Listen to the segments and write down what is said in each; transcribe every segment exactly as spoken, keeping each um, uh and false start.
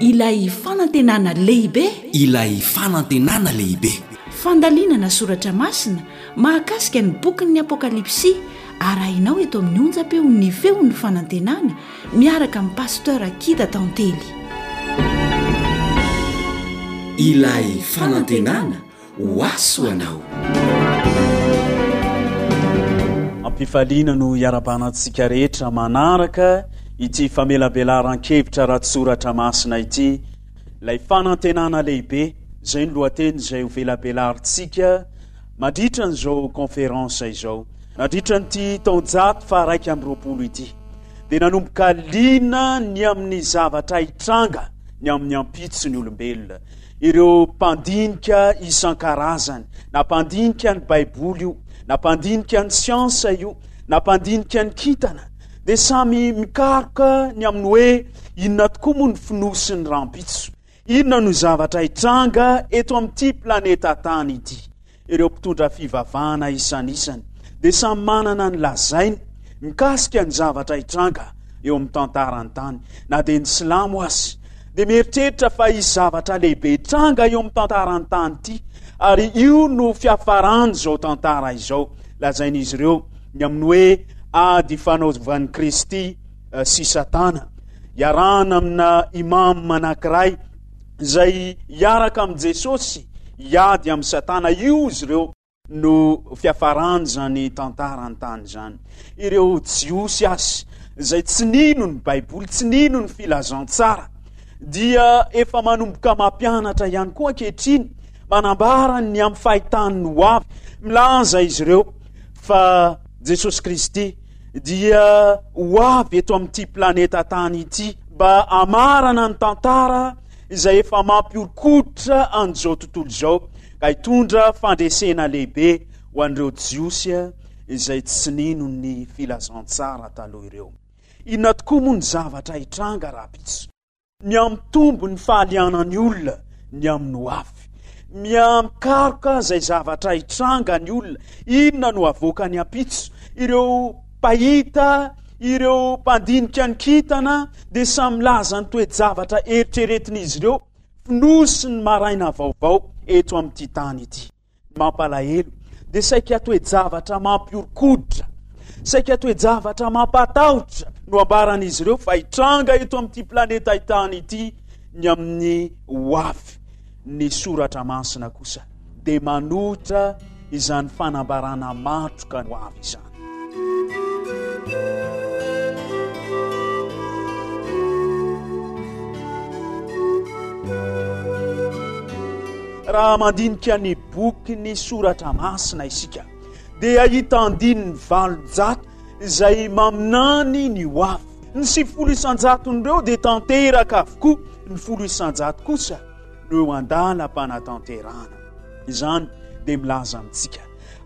Ilay fanantenana lehibe. Ilay fanantenana lehibe. Fandalinana soratra masina mahakasika ny bokin'ny Apokalypsy arahinao eto amin'ny onjam-peon'ny Feon'ny Fanantenana miaraka amin'i Pasteur Akida Tantely. Ilay fanantenana ho ahy ho anao. Ampifaliana no iarabana antsika rehetra manaraka ity famelabelaran-kevitra ara-tsoratra masina ity. Ilay fanantenana lehibe, izay no lohateny izay ho velabelarintsika mandritra an'izao conférence izao. Nandritra an'ity taonjato faha-iraika amby roapolo ity dia nanomboka liana ny amin'ny zavatra hitranga ny amin'ny ampitso ny olombelona. Ireo mpandinika isan-karazany, na mpandinika ny Baiboly io, na mpandinika ny siansa io, na mpandinika ny kintana, dia samy mikaroka ny amin'ny hoe inona tokoa moa ny fonosin'ny rahampitso, inona no zavatra hitranga eto amin'ity planeta tany ity. Ireo mpitondra fivavahana isanisany dia samy manana ny lazainy mikasika ny zavatra hitranga eo amin'ny tantaran'ny tany. Na dia ny silamo aza dia mieritreritra fa hisy zavatra lehibe hitranga eo amin'ny tantaran'ny tany ity, ary io no fiafaran'izao tantara izao. Lazain'izy ireo ny amin'ny hoe ady ifanaovan'i Kristy sy Satana, iarahana amina imam anankiray izay hiaraka amin'i Jesosy hiady amin'i Satana. Io izy ireo no fiafaran'izany tantaran'ny tany izany. Ireo Jiosy azy izay tsy nino ny Baiboly, tsy nino ny filazantsara, dia efa manomboka mampianatra ihany koa ankehitriny, manambara ny amin'ny fahitany ny ho avy. Milaza izy ireo fa Jesosy Kristy dia ho avy eto amin'ity planeta tany ity mba hamarana ny tantara izay efa mampihoron-koditra an'izao tontolo izao, ka hitondra fandresena lehibe ho an'ireo Jiosy izay tsy nino ny filazantsara taloha ireo. Inona tokoa moa ny zavatra hitranga rahampitso? Mihamitombo ny fahalianan'ny olona ny amin'ny ho avy. Mihamikaroka izay zavatra hitranga ny olona. Inona no havoakan'ny ampitso? Ireo mpahita, ireo mpandinika ny kintana dia samy milaza ny toe-javatra eritreretin'izy ireo fonosin'ny maraina vaovao eto amin'ity tany ity. Ny mampalahelo dia saika toe-javatra mampihoron-koditra, saika toe-javatra mampatahotra no ambaran'izy ireo fa hitranga eto amin'ity planeta tany ity ny amin'ny ho avy. Ny soratra masina kosa dia manohitra izany fanambarana matroka ho avy izany. Raha mandinika ny bokin'ny soratra masina isika dia hahita andininy valonjato izay maminany ny ho avy. Ny sivifolo isan-jaton'ireo dia tanteraka avokoa, ny folo isan-jato kosa no eo an-dalam-panatanterahana. Izany dia milaza amintsika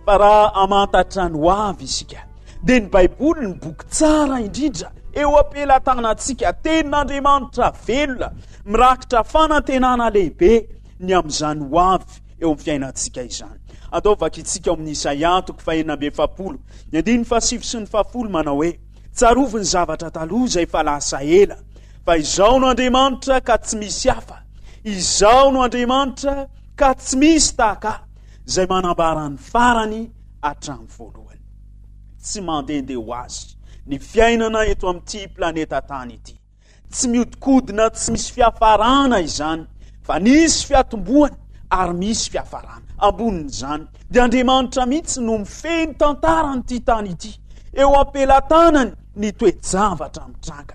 fa raha hamantatra ny ho avy isika dia ny Baiboly ny boky tsara indrindra eo am-pelatanantsika, tenin'Andriamanitra velona mirakitra fanantenana lehibe ny amin'izany ho avy eo amin'ny fiainantsika izany. Andao vakintsika ao amin'ny Isaia toko fahenina amby efapolo, ny andininy fahasivy sy ny fahafolo manao hoe: Tsarovy ny zavatra taloha izay efa lasa ela, fa Izaho no Andriamanitra ka tsy misy hafa, Izaho no Andriamanitra ka tsy misy tahaka Ahy, izay manambara ny farany hatramin'ny voalohany. Tsy mandehandeha ho azy ny fiainana eto amin'ity planeta tany ity. Tsy mihodinkodina tsy misy fiafarana izany, fa nisy fiatombohany ary misy fiafarana. Ambonin'izany, dia Andriamanitra mihitsy no mifehy ny tantaran'ity tany ity. Eo am-pelatanany ny toe-javatra mitranga.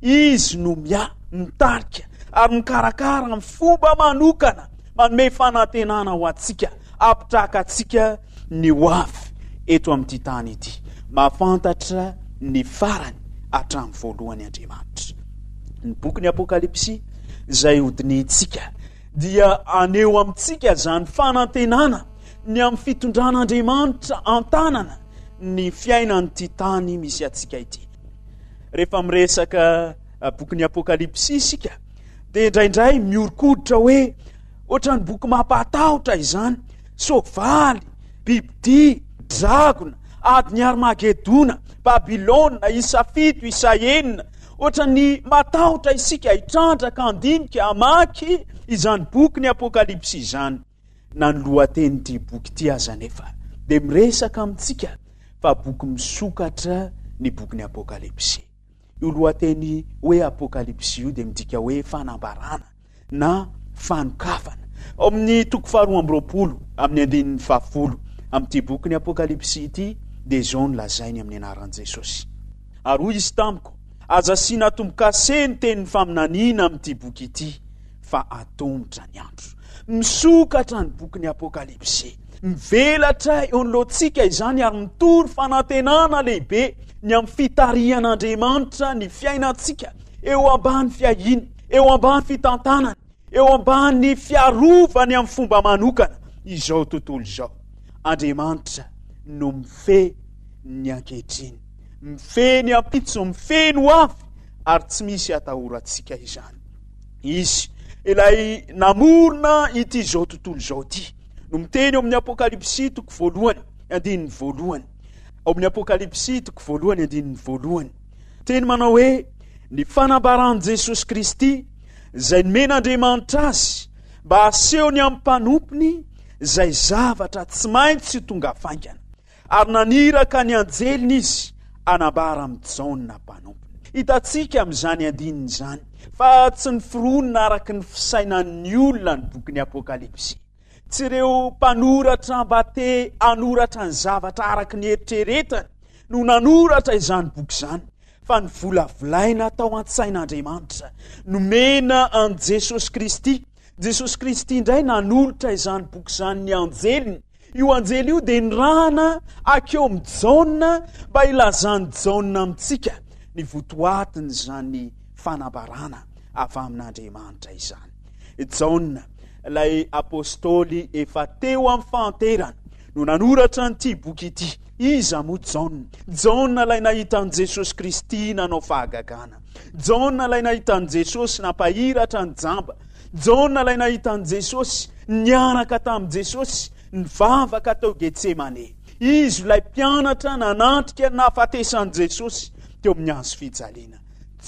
Izy no miahy, mitarika ary mikarakara amin'ny fomba manokana, manome fanantenana ho antsika, hampitraka antsika ny ho avy eto amin'ity tany ity. Mahafantatra ny farany hatramin'ny voalohany Andriamanitra. Ny bokin'ny Apokalypsy izay hodinihintsika dia haneho amintsika izany fanantenana ny amin'ny fitondran'Andriamanitra an-tanana ny fiainan'ity tany misy antsika ity. Rehefa miresaka eh, bokin'ny Apokalypsy isika dia indraindray mihoron-koditra hoe ohatran'ny boky mampahatahotra izany. Soavaly, bibidia, dragona, adin'i Armagedona, Babylona, isa fito, isa enina, Ohatran'ny matahotra isika hitrandraka, handinika, hamaky izany boky ny Apokalypsy izany. Na ny lohatenin'ity boky ity aza anefa dia miresaka amintsika fa boky misokatra ny bokin'ny Apokalypsy. Io lohateny hoe Apokalypsy io dia midika hoe fanambarana na fanokafana. Ao amin'ny toko faharoa amby roapolo amin'ny andininy fahafolo amin'ity bokin'ny Apokalypsy ity dia izao no lazainy amin'ny anaran'i Jesosy. Ary hoy izy tamiko, aza asiana tombo-kase ny tenin'ny faminaniana amin'ity boky ity, fa atomotra ny andro. Misokatra ny bokin'ny Apokalypsy. Mivelatra eo anoloantsika izany ary mitory fanantenana lehibe ny amin'ny fitarihan'Andriamanitra ny fiainantsika eo ambany fiahiany, eo ambany fitantanany, eo ambany fiarovany amin'ny fomba manokana izao tontolo izao. Andriamanitra no mifehy ny ankehitriny, mifehy ny ampitso, mifehy ny ho avy, ary tsy misy atahorantsika izany. Izy ilay namorona ity izao tontolo izao ity no miteny eo amin'ny Apokalypsy toko voalohany andininy voalohany. Ao amin'ny Apokalypsy toko voalohany andininy voalohany, teny manao hoe ny fanambaran'i Jesosy Kristy izay nomen'Andriamanitra azy mba hasehony amin'ny mpanompony izay zavatra tsy maintsy ho tonga faingana, ary naniraka ny anjeliny izy hanambara amin'i Jaona mpanompony. Hitantsika amin'izany andininy izany fa tsy noforonina araka ny fisainan'ny olona ny bokin'ny Apokalypsy. Tsy ireo mpanoratra mba te hanoratra ny zavatra araka ny eritreretany no nanoratra izany boky izany, fa ny volavolaina tao an-tsain'Andriamanitra nomena an'i Jesosy Kristy. Jesosy Kristy indray nanolotra izany boky izany ny anjeliny. Io anjely io dia nirahana akeo amin'i Jaona mba hilazan'i Jaona amintsika ny votoatin'izany fanambarana avy amin'Andriamanitra izany. Jaona, ilay apôstôly efa teo amin'ny fahanterana, no nanoratra an'ity boky ity. Iza moa Jaona? Jaona ilay nahita an'i Jesosy Kristy nanao fahagagana. Jaona ilay nahita an'i Jesosy nampahiratra ny jamba. Jaona ilay nahita an'i Jesosy niaraka tamin'i Jesosy nivavaka tao Getsemane. Izy ilay mpianatra nanatrika ny nahafatesan'i Jesosy teo amin'ny hazo fijaliana.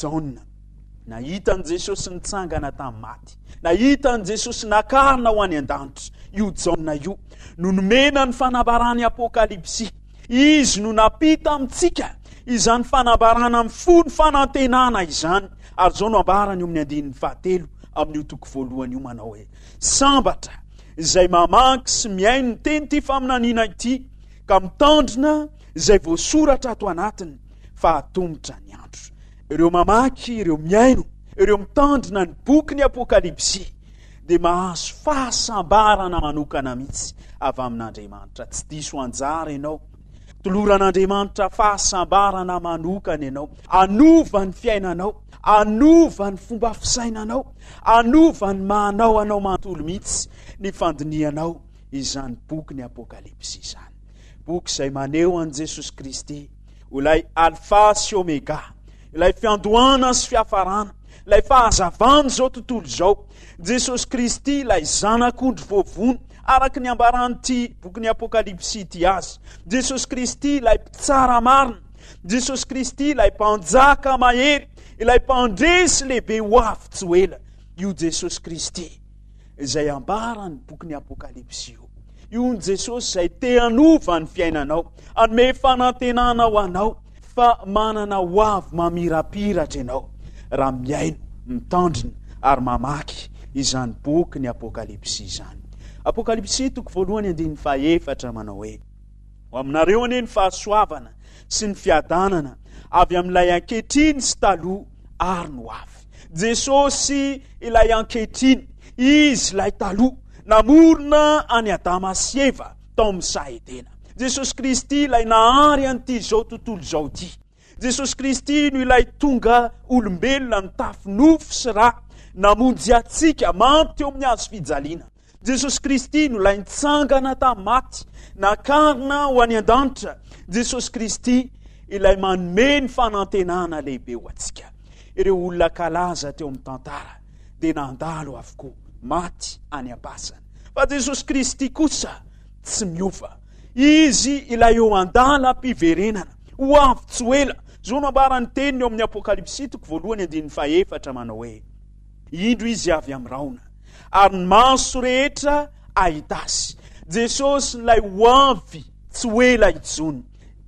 Jaona nahita an'i Jesosy nitsangana tamin'ny maty, nahita an'i Jesosy nakarina ho any an-danitra. Io Jaona io no nomena ny fanambaran'ny Apokalypsy. Izy no nampita amintsika izany fanambarana mifono fanantenana izany. Ary izao no ambarany eo amin'ny andininy fahatelo amin'io toko voalohany io manao hoe: sambatra izay mamaky sy mihaino ny teny ity faminaniana ity ka mitandrina izay voasoratra ato anatiny, fa atomotra ny andro. Ireo mamaky, ireo mihaino, ireo mitandrina ny boky ny Apokalypsy dia mahazo fahasambarana manokana mihitsy avy amin'Andriamanitra. Tsy diso anjara ianao. Toloran'Andriamanitra fahasambarana manokana ianao. Hanova ny fiainanao, hanova ny fomba fisainanao, hanova ny mahanao anao manontolo mihitsy ny fandinihanao izany boky ny Apokalypsy izany. Boky izay maneho an'i Jesosy Kristy ho ilay Alfa sy Omega, ilay fiandohana sy fiafarana, ilay fahazavan'izao tontolo izao. Jesosy Kristy ilay zanak'ondry voavono araka ny ambaran'ity bokin'ny Apokalypsy ity azy. Jesosy Kristy ilay mpitsara marina. Jesosy Kristy ilay mpanjaka mahery, ilay mpandresy lehibe ho avy tsy ho ela. Io Jesosy Kristy izay ambaran'ny bokin'ny Apokalypsy io. Io ny Jesosy izay te hanova ny fiainanao, hanome fanantenana ho anao fa manana ho avy mamirapiratra ianao raha mihaino, mitandrina ary mamaky izany boky ny Apokalypsy izany. Apokalypsy toko voalohany andininy fahaefatra manao hoe: ho aminareo anie ny fahasoavana sy ny fiadanana avy amin'ilay ankehitriny sy taloha ary no avy. Jesosy ilay ankehitriny, izy ilay taloha namorona an'i Adama sy Eva tao amin'ny saha Edena. Jesosy Kristy ilay nahary an'ity izao tontolo izao ity. Jesosy Kristy no ilay tonga olombelona nitafy nofo sy rà, namonjy antsika maty teo amin'ny hazo fijaliana. Jesosy Kristy no ilay nitsangana tamin'ny maty, nakarina ho any an-danitra. Jesosy Kristy ilay manome ny fanantenana lehibe ho antsika. Ireo olona kalaza teo amin'ny tantara dia nandalo avokoa, maty any am-pasana. Fa Jesosy Kristy kosa tsy miova. Izy ilay eo an-dalam-piverenana, ho avy tsy ho ela, Izao no ambaran'ny teniny eo amin'ny Apokalypsy toko voalohany andininy fahefatra manao hoe: Indro izy avy amin'ny rahona, ary ny maso rehetra hahita azy. Jesosy ilay ho avy tsy ho ela intsony.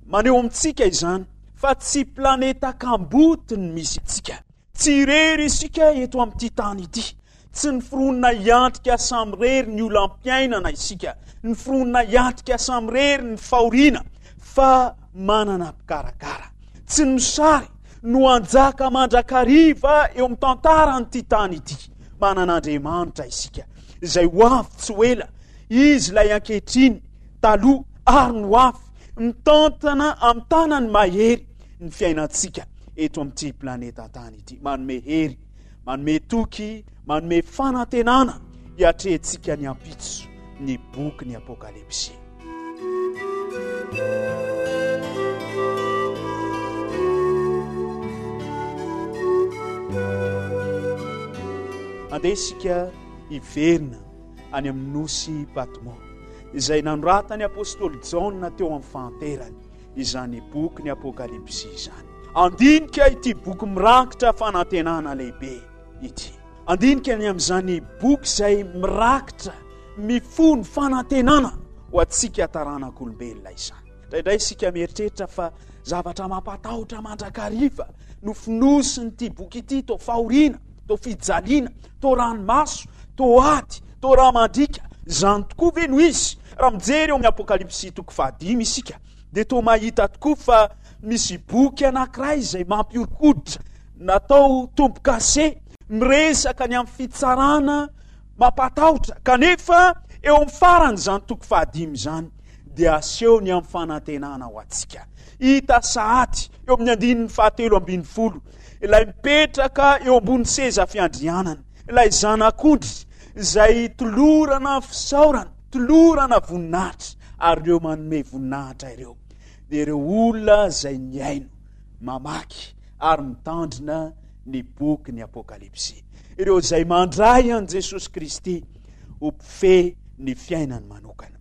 Maneho amintsika izany fa tsy planeta kamboty ny misy antsika. Tsy irery isika eto amin'ity tany ity. Tsy niforonina hiatrika samirery ny olam-piainana isika. Niforonina hiatrika samirery ny fahoriana, fa manana mpikarakara. Tsy ny mosary no hanjaka mandrakariva eo amin'ny tantaran'ity tany ity. Manana Andriamanitra isika, izay ho avy tsy ho ela. Izy ilay ankehitriny, taloha ary ny ho avy, mitantana amin'ny tanany mahery ny fiainantsika eto amin'ity planeta tany ity. Manome hery, manome toky, manome fanantenana hiatrehantsika ny ampitso ny boky ny Apokalypsy. Andeha isika hiverina any amin'ny nosy Patmo, izay nanoratan'ny apostoly Jaona teo amin'ny fahanterany izany boky ny Apokalypsy izany. Andinika ity boky mirakitra fanantenana lehibe ity. Andinika ny amin'izany boky izay mirakitra mifono fanantenana ho antsika taranak'olombelona izany. Indraindray isika mieritreritra fa zavatra mampatahotra mandrakariva no fonosin'ity boky ity, toa fahoriana, toa fijaliana, toa ranomaso, toa ady, toa rà mandriaka. Izany tokoa ve no izy? Raha mijery eo amin'ny Apokalypsy toko fahadimy isika, dia toa mahita tokoa fa misy boky anankiray izay mampihoron-koditra, natao tombo-kase, miresaka ny amin'ny fitsarana mampatahotra. Kanefa eo amin'ny faran'izany toko fahadimy izany dia aseho ny amin'ny fanantenana ho antsika. Hita sahady eo amin'ny andininy fahatelo ambin'ny folo ilay mipetraka eo ambony seza fiandrianana, ilay zanak'ondry izay tolorana fisaorana, tolorana voninahitra, ary ireo manome voninahitra ireo dia ireo olona izay nihaino, mamaky ary mitandrina ny boky ny Apokalypsy. Ireo izay mandray an'i Jesosy Kristy ho mpifehy ny fiainany manokana.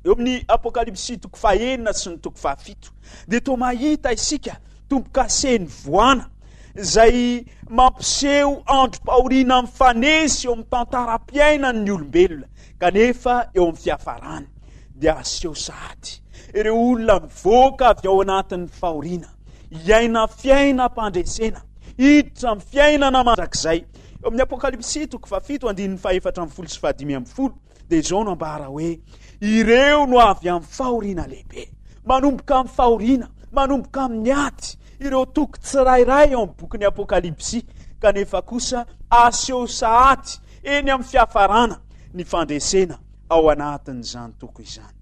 Eo amin'ny Apokalypsy toko fahenina sy ny toko fahafito dia toa mahita isika tombo-kasen'ny voana izay mampiseho androm-pahoriana mifanesy eo amin'ny tantaram-piainan'ny olombelona, kanefa eo amin'ny fiafarany dia aseho sahady ireo olona mivoaka avy ao anatin'ny fahoriana, hiaina fiainam-pandresena, hiditra amin'ny fiainana mandrakizay. Eo amin'ny Apokalypsy toko fahafito andininy fahefatra ambin'ny folo sy fahadimy ambin'ny folo dia izao no ambara hoe: ireo no avy amin'ny fahoriana lehibe. Manomboka amin'ny fahoriana, manomboka amin'ny ady ireo toko tsirairay ao amin'ny bokin'ny Apokalypsy, kanefa kosa aseho sahady eny amin'ny fiafarana ny fandresena ao anatin'izany toko izany.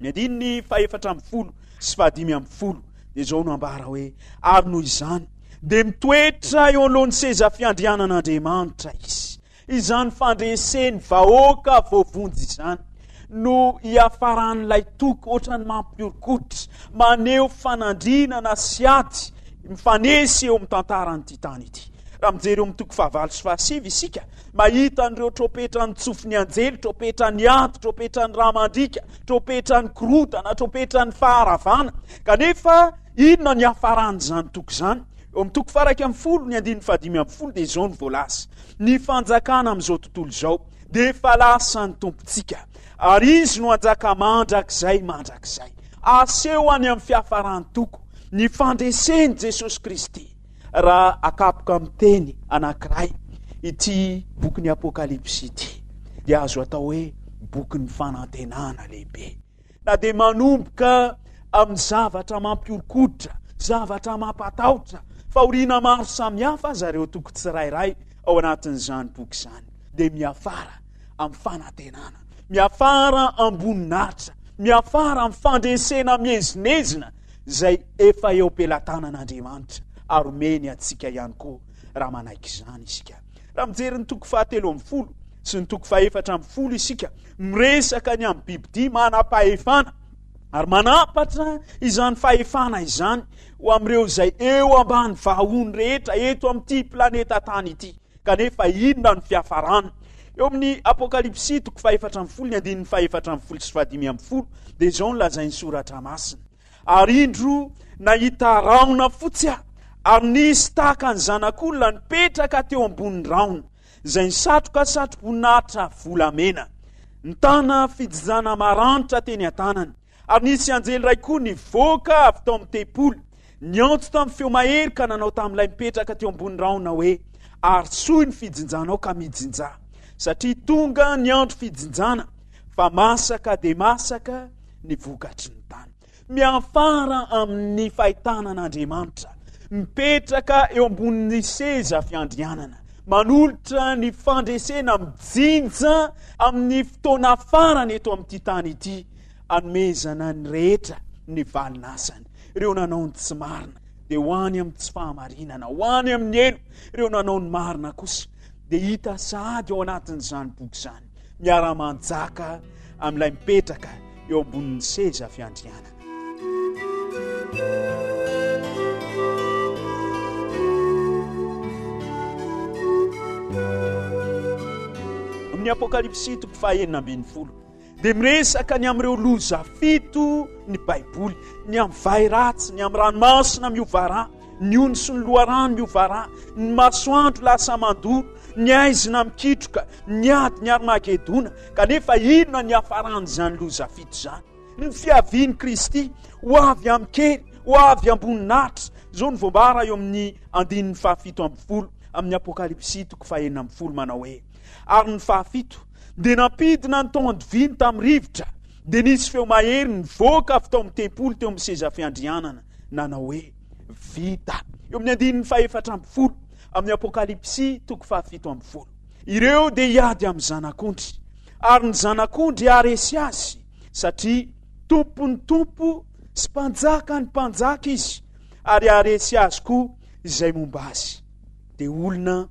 Ny andininy fahefatra ambin'ny folo sy fahadimy ambin'ny folo dia izao no ambara hoe: ary noho izany dia mitoetra eo anoloan'ny seza fiandrianan'Andriamanitra izy. Izany fandresen'ny vahoaka voavonjy izany no hiafaran'ilay toko ohatran'ny mampihoron-koditra, maneho fanandrinana sy ady mifanesy eo amin'ny tantaran'ity tany ity. Raha mijery eo amin'ny toko fahavalo sy fahasivy isika, mahita an'ireo tropetra nitsofin'ny anjely, tropetra ny ady, tropetra ny rà mandriaka, tropetra ny korontana, tropetra ny faharavana. Kanefa inona ny hiafaran'izany toko izany? Eo amin'ny toko faha-iraika ambin'ny folo, ny andininy fahadimy ambin'ny folo dia izao no voalaza: ny fanjakana amin'izao tontolo izao dia efa lasan'ny Tompontsika, ary izy no hanjaka mandrakizay mandrakizay. Aseho any amin'ny fiafaran'ny toko ny fandresen'i Jesosy Kristy. Raha akapoka amin'ny teny anankiray ity bokin'ny Apokalypsy ity, dia azo atao hoe bokin'ny fanantenana lehibe. Na dia manomboka amin'ny zavatra mampihoron-koditra, zavatra mampatahotra, fahoriana maro samihafa aza ireo toko tsirairay ao anatin'izany boky izany, dia miafara amin'ny fanantenana, miafara am-boninahitra, miafara amin'ny fandresena miezinezina izay efa eo am-pelatanan'Andriamanitra ary omeny antsika ihany koa raha manaiky izany isika. Raha mijery ny toko fahatelo ambin'ny folo sy ny toko fahefatra ambin'ny folo isika, miresaka ny amin'ny bibidia manam-pahefana ary manampatra izany fahefana izany ho amin'ireo izay eo ambany vahony rehetra eto amin'ity planeta tany ity. Kanefa inona no fiafarana? Eo amin'ny Apokalypsy toko fahefatra ambin'ny folo ny andininy fahefatra ambin'ny folo sy fahadimy ambin'ny folo dia izao no lazain'ny soratra masina: Ary indro nahita rahona fotsy aho, ary nisy tahaka ny zanak'olona nipetraka teo ambonin'ny rahona, izay nisatroka satroboninahitra volamena, nitana fijinjana maranitra teny an-tanany. Ary nisy anjely iray koa nivoaka avy tao amin'ny tempoly, niantso tamin'ny feo mahery ka nanao tamin'ilay mipetraka teo ambony rahona hoe: Arosoy ny fijinjanao ka mijinjà, satria tonga ny andro fijinjana, fa masaka dia masaka ny vokatry ny tany. Miafara amin'ny fahitana an'Andriamanitra mipetraka eo ambonin'ny seza fiandrianana, manolotra ny fandresena mijinja amin'ny fotoana farany eto amin'ity tany ity, anomezana ny rehetra ny valin'asany. Ireo nanao ny tsy marina dia ho any amin'ny tsy fahamarinana, ho any amin'ny helo. Ireo nanao ny marina kosa dia hita sahady ao anatin'izany boky izany, miara-manjaka amin'ilay mipetraka eo ambonin'ny seza fiandrianana. Amin'ny Apokalypsy toko fahenina ambin'ny folo dia miresaka ny amin'ireo loza fito ny Baiboly, ny amin'ny vay ratsy, ny amin'ny ranomasina miova rà, ny ony sy ny loharano miova rà, ny masoandro lasa mandoro, ny haizina mikitroka, ny ady, ny Armagedona. Kanefa inona ny hafaran'izany loza fito izany? Ny fiavian'i Kristy ho avy amin-kery, ho avy am-boninahitra. Izao no voambara eo amin'ny andininy fahafito ambin'ny folo amin'ny Apokalypsy toko fahenina ambin'ny folo manao hoe: Ary ny fahafito dia nampidina ny taon-diviny tamin'ny rivotra, dia nisy feo mahery nivoaka avy tao amin'ny tempoly teo amin'ny seza fiandrianana nanao hoe: Vita. Eo amin'ny andininy fahefatra ambin'ny folo amin'ny Apokalypsy toko fahafito ambin'ny folo, ireo dia hiady amin'ny zanak'ondry, ary ny zanak'ondry haharesy azy, satria tompon'ny tompo sy mpanjakan'ny mpanjaka izy, ary haharesy azy koa izay momba azy. Dia olona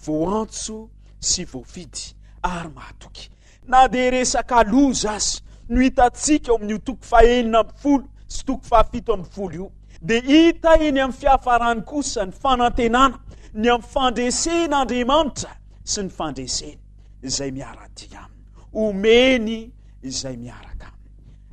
voantso sy voafidy ary mahatoky. Na dia resaka loza aza no hitantsika ao amin'io toko fahenina ambin'ny folo sy toko fahafito ambin'ny folo io, dia hita eny amin'ny fiafarany kosa ny fanantenana ny amin'ny fandresen'Andriamanitra sy ny fandreseny izay miara-dia aminy, omeny izay miaraka aminy.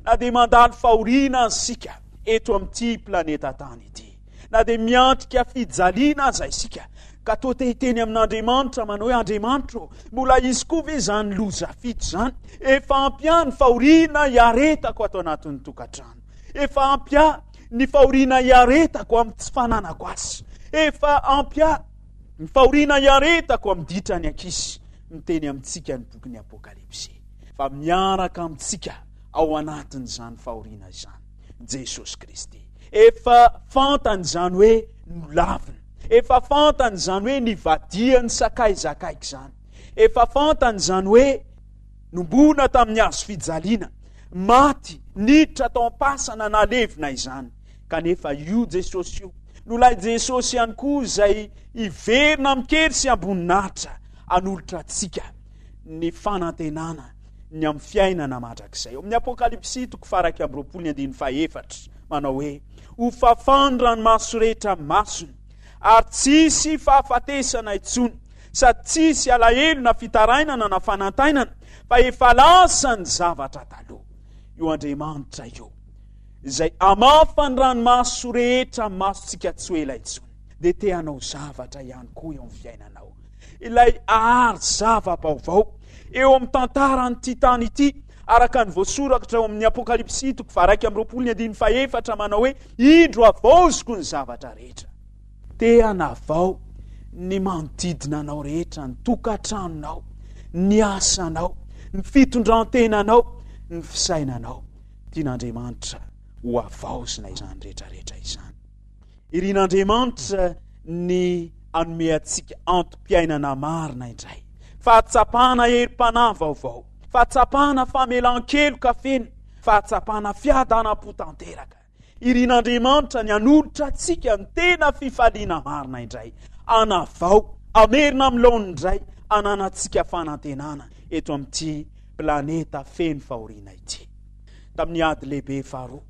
Na dia mandalo fahoriana aza isika eto amin'ity planeta tany ity, na dia miatrika fijaliana aza isika, ka toa te hiteny amin'Andriamanitra manao hoe: Andriamanitra ô, mbola hisy koa ve izany loza fito izany? Efa ampy ahy ny fahoriana hiaretako ato anatin'ny tokantrano. Efa ampy ahy ny fahoriana hiaretako amin'ny tsy fananako asa. Efa ampy ahy ny fahoriana hiaretako amin'ny ditran'ny ankizy. Miteny amintsika ny bokin'ny Apokalypsy fa miaraka amintsika ao anatin'izany fahoriana izany Jesosy Kristy. Efa fantany izany hoe nolavina. Efa fantany izany hoe nivadian'ny sakaiza akaiky izany. Efa fantany izany hoe nombona tamin'ny hazo fijaliana, maty, niditra tao am-pasana nalevina izany. Kanefa io Jesosy io no ilay Jesosy ihany koa izay hiverina amin-kery sy am-boninahitra hanolotra antsika ny fanantenana ny amin'ny fiainana mandrakizay. Ao amin'ny Apokalypsy toko faha-iraika amby roapolo ny andininy fahefatra manao hoe: Ho fafan'ny ranomaso rehetra masony, ary tsy hisy fahafatesana intsony, sady tsy hisy alahelo na fitarainana na fanantainana, fa efa lasa ny zavatra taloha. Io Andriamanitra io izay hamafa ny ranomaso rehetra amin'ny masontsika tsy ho ela intsony, dia te hanao zavatra ihany koa eo amin'ny fiainanao. Ilay hahary zava-baovao eo amin'ny tantaran'ity tany ity, araka ny voasoratra ao amin'ny Apokalypsy toko faha-iraika amby roapolo ny andininy fahefatra manao hoe: Indro havaoziko ny zavatra rehetra. Te hanavao ny manodidina anao rehetra, ny tokantranonao, ny asanao, ny fitondran-tenanao, ny fisainanao. Tian'Andriamanitra ho havaozina izany rehetra rehetra izany. Irin'Andriamanitra ny hanome antsika antom-piainana marina indray, fahatsapana herim-panahy vaovao, fahatsapana famelan-keloka feno, fahatsapana fiadanam-po tanteraka. Irin'Andriamanitra ny hanolotra antsika ny tena fifaliana marina indray, hanavao, hamerina amin'ny laoniny indray, hananantsika fanantenana eto amin'ity planeta feno fahoriana ity. Tamin'ny ady lehibe faharoa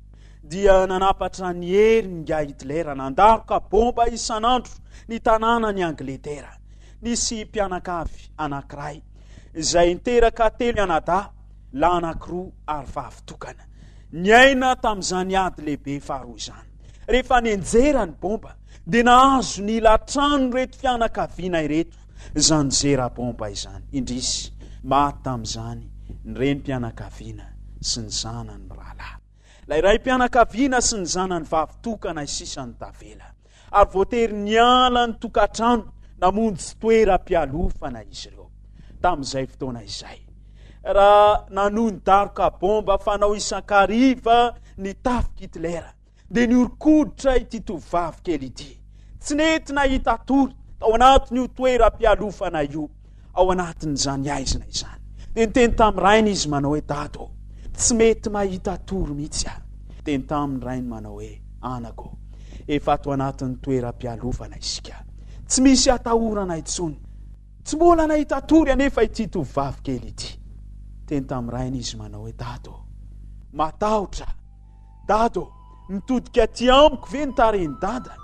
dia nanapatra ny heriny ingahy Hitler, nandaroka bomba isan'andro ny tanànan'i Angletera. Nisy mpianakavy anankiray izay niteraka telo anadahy, lahy anankiroa ary vavy tokana. Niaina tamin'izany ady lehibe faharoa izany. Rehefa nianjera ny bomba dia nahazo ny ila tranon'ireto fianakaviana ireto izany zera bomba izany. Indrisy, maty tamin'izany ny renim-pianakaviana sy ny zanany mirahalahy. Ilay raim-pianakaviana sy ny zanany vavy tokana sisa no tavela. Ary voatery niala ny tokantrano namonjy toeram-pialofana izy ireo. Tamin'izay fotoana izay, raha nanohy ny daroka bomba fanao isan-kariva ny tafik'i Hitler, dia nihoron-koditra ity tovovavy kely ity. Tsy nety nahita tory tao anatin'io toeram-pialofana io, ao anatin'izany haizina izany. Dia niteny tamin'ny rainy izy manao hoe, Dada ô, tsy mety mahita tory mihitsy aho. Niteny tamin'ny rainy manao hoe, Anaka ô, efa ato anatin'ny toeram-pialofana isika. Tsy misy atahorana intsony. Tsy mbola nahita tory anefa ity tovovavy kely ity. Niteny tamin'ny rainy izy manao hoe, Dada ô, matahotra aho. Dada ô, mitodika aty amiko ve ny tarehin'i Dada?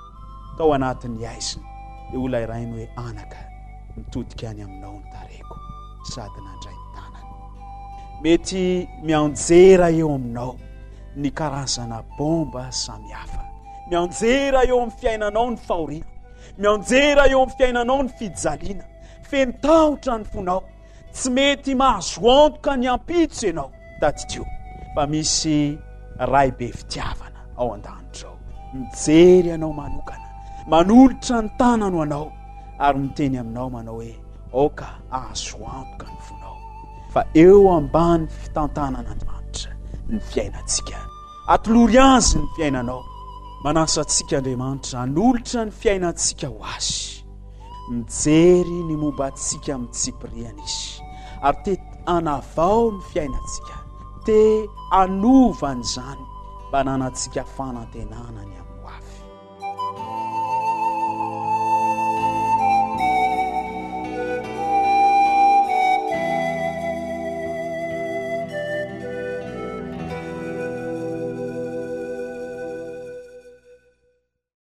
Tao anatin'ny haizina, dia hoy ilay rainy hoe, Anaka, mitodika any aminao ny tarehiko, sady nandray ny tanany. Mety mianjera eo aminao ny karazana bomba samihafa. Mianjera eo amin'ny fiainanao ny fahoriana. Mianjera eo amin'ny fiainanao ny fijaliana. Feno tahotra ny fonao. Tsy mety mahazo antoka ny ampitso ianao. Tadidio fa misy Ray be fitiavana ao an-danitra ao, mijery anao manokana, manolotra ny tanany ho anao ary miteny aminao manao hoe, aoka hahazo antoka ny fonao fa eo ambany fitantanan'Andriamanitra ny fiainantsika. Atolory Azy ny fiainanao. Manasa antsika Andriamanitra hanolotra ny fiainantsika ho Azy. Mijery ny momba antsika amin'ny tsipiriany Izy ary te hanavao ny fiainantsika, te hanova an'izany mba hananantsika fanantenana ny